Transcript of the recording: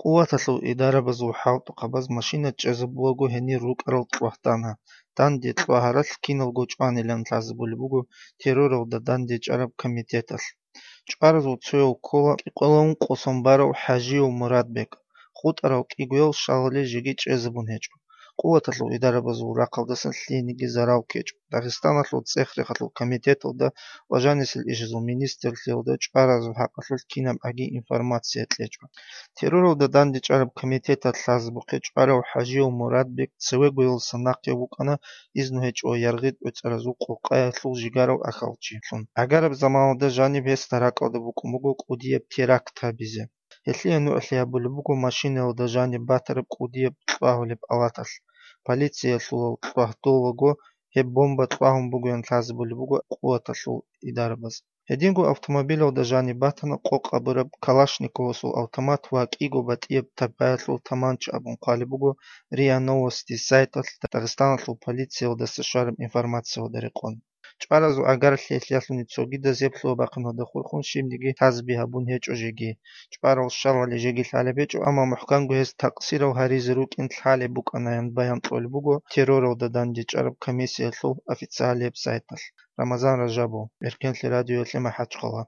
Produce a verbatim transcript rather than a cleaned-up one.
ყუათალუ იდარაბაზუ ჰავტუ ყაბაზ მაშინა ჭეზაბუაგუ ჰენი რუკარალ ტყვახტანა. Данди ტყვაჰარალ ქინალგო ჭვანილან თაზბულიბუგუ террорал და данди ჭარაბ комитетალ. ჭვარაზუ ცუეუ ქოლა ყოლაუნ ყოსომბარავ ჰაჟიუ მურადბეკ. ხუტარავ კიგუელ შალალე ჟიგი ჭეზაბუნ ჰეჭო. ყუათალუ იდარაბაზუ რაყალდასან ლინიგი ზარავ ქეჭო. დაღესტანალუ წეხრეხალუ комитетალ და ვაჟანისილ იჟეზუ მინისტრლილ და ჭვარაზუ ჰაყალალ ქინამ აგი ინფორმაცია ტლეჭო. террорал და данди ჭარაბ комитетალ თაზბუხე ჭვარავ ჰაჟიუ მურადბეკ ცევეგუელ სანახევუ ყანა იზნუ ჰეჭო იარღით უწარაზუ ყოყაялუ ჟიგარავ ახალჭილუნ. აგარაბ ზამაო და ჟანი ვეს დარაკალდა ბუკუმუგუ ყუდიე თერაქტაბიზე. ელიანუ ელიაბულიბუგუ მაშინელ და ჟანი ბათარებ ყუდიე ტყვაჰოლებ ალათალ. Полиция лу тყვაჰდოლოგო ჰე ბომბა ტყვაჰუმბუგუენ თაზბულიბუგუ ყუათალუ იდარაბაზ. Хедингу автомобилев да жани батана қоқабыраб Калашниковсу автомат ва кигу батиеб табайлу таманч абун қалибугу РИА Новости сайтал Дагестанлу полиция да сашарам информация дариқон. ჭვარაზუ აგარ ლელიალუნი ცოგი და ზეფლუა ბაყნო და ხურხუნ შიმდიგი თაზბი აბუნ ჰეჭო ჟიგი. ჭვარალ შალალი ჟიგი ლალებეჭო ამა მუჰკანგუ ეს თაყსირავ ჰარიზრუ კინ ლალე ბუკანაიან ბაյան ტოლიბუგუ террорал და данди ჭარაბ комиссиялუ ოფიციალებ საიტალ. Рамазан Ражабов, Эркенли радио лема хачқала.